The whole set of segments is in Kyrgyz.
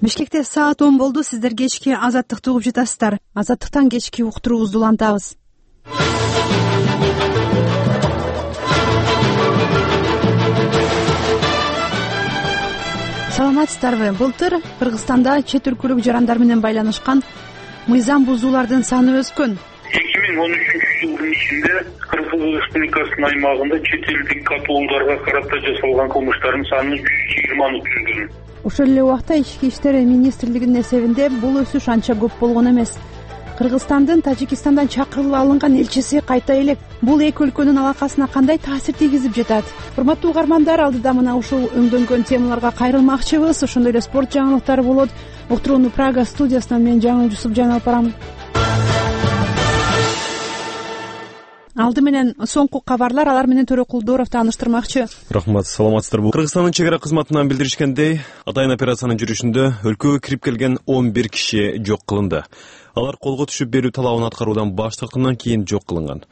Бишкекте саат 10 болду. Сиздер кечки Азаттыкты угуп жатасыздар. Азаттыктан кечки уктуруубузду улантабыз. Саламатсыздарбы? Былтыр Кыргызстанда чет өлкөлүк жарандар менен байланышкан мыйзам бузуулардын саны өскөн. 2013-жылдын ичинде Кыргыз Республикасынын аймагында чет элдик катуулдарга карата жасалган кылмыштардын саны 120 түзгөн. Ошол эле убакта Ички иштер министрлигинин эсебинде бул өсүш анча көп болгон эмес. Кыргызстандын Тажикистандан чакырылып алынган элчиси кайта элек. Бул эки өлкөнүн алакасына кандай таасир тийгизип жатат? Урматтуу угармандар, алдыда мына ушул өңдөнгөн темаларга кайрылмакчыбыз. Ошондой эле спорт жаңылыктары болот. Уктурууну Прага студиясынан мен Жаңыл Жусупжан алып барам. Алды менен соңку кабарлар, алар менен Төрөкулдоров тааныштырмакчы. Рахмат, саламатсыздарбы? Кыргызстандын чек ара кызматынан билдиришкендей, атайын операциянын жүрүшүндө өлкөгө кирип келген 11 киши жок кылынды. Алар колго түшүп берүү талабын аткаруудан баш тарткандан кийин жок кылынган.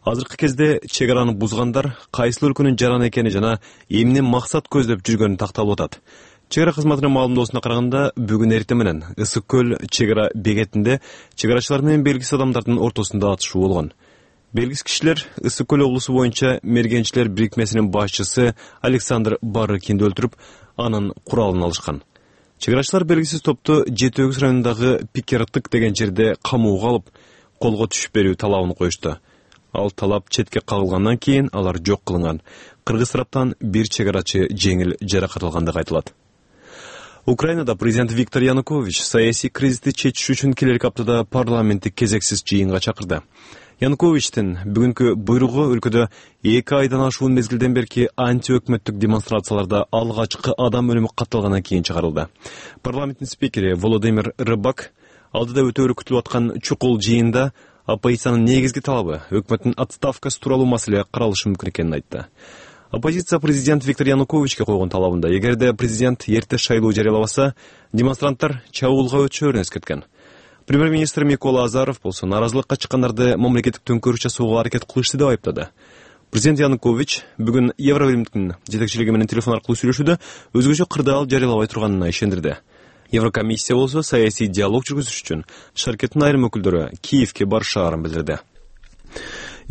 Азыркы кезде чек араны бузгандар кайсыл өлкөнүн жараны экени жана эмне максат көздөп жүргөнү такталып атат. Чек ара кызматынын маалымдоосуна караганда, бүгүн эртең менен Ысык көл чек ара бекетинде чек арачылар менен белгисиз адамдардын ортосунда атышуу болгон. Белгисиз кишилер Ысык көл облусу боюнча мергенчилер бирикмесинин башчысы Александр Барыкинди өлтүрүп, анын куралын алышкан. Чек арачылар белгисиз топту Жети Өгүз районундагы Пикертык деген жерде камоого алып, колго түшүп берүү талабын коюшту. Ал талап четке кагылгандан кийин алар жок кылынган. Кыргыз тараптан бир чек арачы жеңил жаракат алгандыгы айтылат. Украинада президент Виктор Янукович саясий кризисти чечиш үчүн келерки аптада парламенттик кезексиз жыйынга чакырды. Януковичтин бүгүнкү буйругу өлкөдө 2 айдан ашуун мезгилден берки антиөкмөттүк демонстрацияларда алгачкы адам өлүмү катталгандан кийин чыгарылды. Парламенттин спикери Володимир Рыбак алдыда өтөөрү күтүлүп аткан чукул жыйында оппозициянын негизги талабы өкмөттүн отставкасы тууралуу маселе каралышы мүмкүн экенин айтты. Оппозиция президент Виктор Януковичке койгон талабында эгерде президент эрте шайлоо жарыялабаса, демонстранттар чабуулга өтүшөөрүн эскерткен. Премьер-министр Микола Азаров болсо наразылыкка чыккандарды мамлекеттик төңкөрүш жасоого аракет кылышты деп айыптады. Президент Янукович бүгүн Евробиримдин жетекчилиги менен телефон аркылуу сүйлөшүүдө өзгөчө кырдаал жарыялабай турганына ишендирди. Еврокомиссия болсо саясий диалог жүргүзүш үчүн шаркеттин айрым өкүлдөрү Киевке барышаарын билдирди.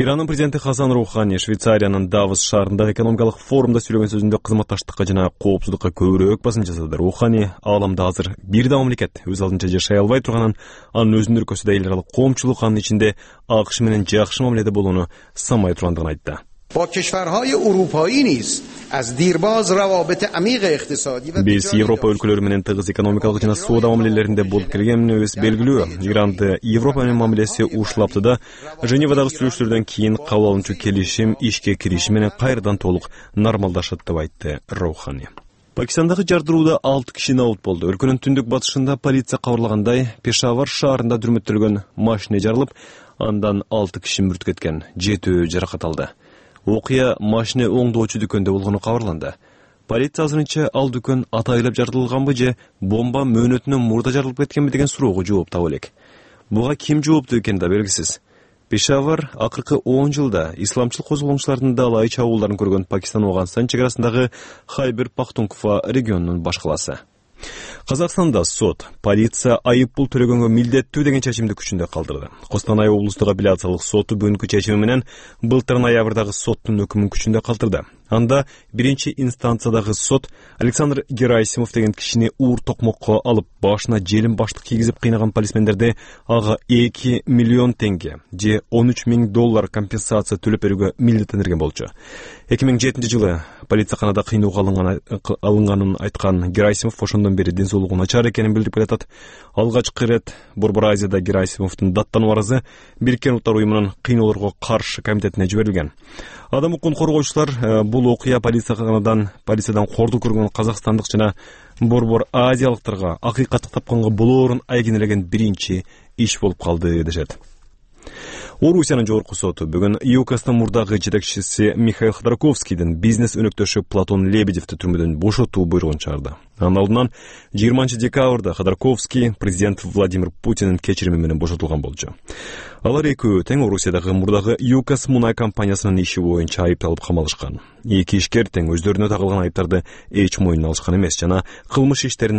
Иранын президенти Хасан Рухани Швейцариянын Давос шаарындагы экономикалык форумда сүйлөгөн сөзүндө кызматташтыкка жана коопсуздукка көбүрөөк басым жасады. Рухани ааламда азыр бир да мамлекет өз алдынча жашай албай турганын, анын өзүнүн өлкөсүдө эл аралык коомчулук анын ичинде АКШ менен жакшы мамиледе болууну самай тургандыгын айтты. Биз Европа өлкөлөрү менен тыгыз экономикалык жана соода мамилелеринде болуп келгенибиз белгилүү. Иранды Европа менен мамилеси ушул да Женевадагы сүйлөшүүлөрдөн кийин кабыл алынчу келишим ишке кириши менен кайрадан толук нормалдашат деп айтты Роухани. Пакистандагы жардырууда 6 киши набут болду. Өлкөнүн түндүк батышында полиция кабарлагандай, Пешавар шаарында дүрмөттөлгөн машина жарылып, андан 6 киши мүрт кеткен, 7 жаракат алды. Окуя машина оңдоочу дүкөндө болгону кабарланды. Полиция азырынча ал дүкөн атайлап жардылганбы же бомба мөөнөтүнөн мурда жарылып кеткенби деген суроого жооп таба элек. Буга ким жооптуу экени да белгисиз. Пешавар акыркы 10 жылда исламчыл козголоңчулардын далай чабуулдарын көргөн Пакистан-Афганистан чек арасындагы Хайбер Пахтунква регионунун баш калаасы. Казакстанда сот полиция айыппул төлөгөнгө милдеттүү деген чечимди күчүндө калтырды. Костанай облустук апелляциялык соту бүгүнкү чечими менен былтыр ноябрдагы соттун өкүмүн күчүндө калтырды. Анда биринчи инстанциядагы сот Александр Герасимов деген кишини уур токмокко алып, башына желим баштык кийгизип кыйнаган полисмендерди ага 2 миллион теңге же $13,000 компенсация төлөп берүүгө милдеттендирген болчу. 2007 жылы полицияканада кыйноого алынганын айткан Герасимов ошондон бери ден начар экенин билдирип келатат. Алгачкы ирет Борбор Азияда Герасимовдун даттануу арызы Бириккен Уттар уюмунун кыйноолорго каршы комитетине жиберилген. Адам укугун коргоочулар бул окуя полициядан кордук көргөн казакстандык жана Борбор Азиялыктарга акыйкатты тапканга болоорун айгинелеген биринчи иш болуп калды дешет. Орусиянын жогорку соту бүгүн ЮКСтын мурдагы жетекчиси Михаил Ходорковскийдин бизнес өнөктөшү Платон Лебедевди түрмөдөн бошотуу буйругун чыгарды. Анын алдынан 20 декабрда Ходорковский президент Владимир Путиндин кечирими менен бошотулган болчу. Алар экөө тең Орусиядагы мурдагы ЮКС мунай компаниясынын иши боюнча айыпталып камалышкан. Эки ишкер тең өздөрүнө тагылган айыптарды эч мойнуна алышкан эмес жана кылмыш иштерин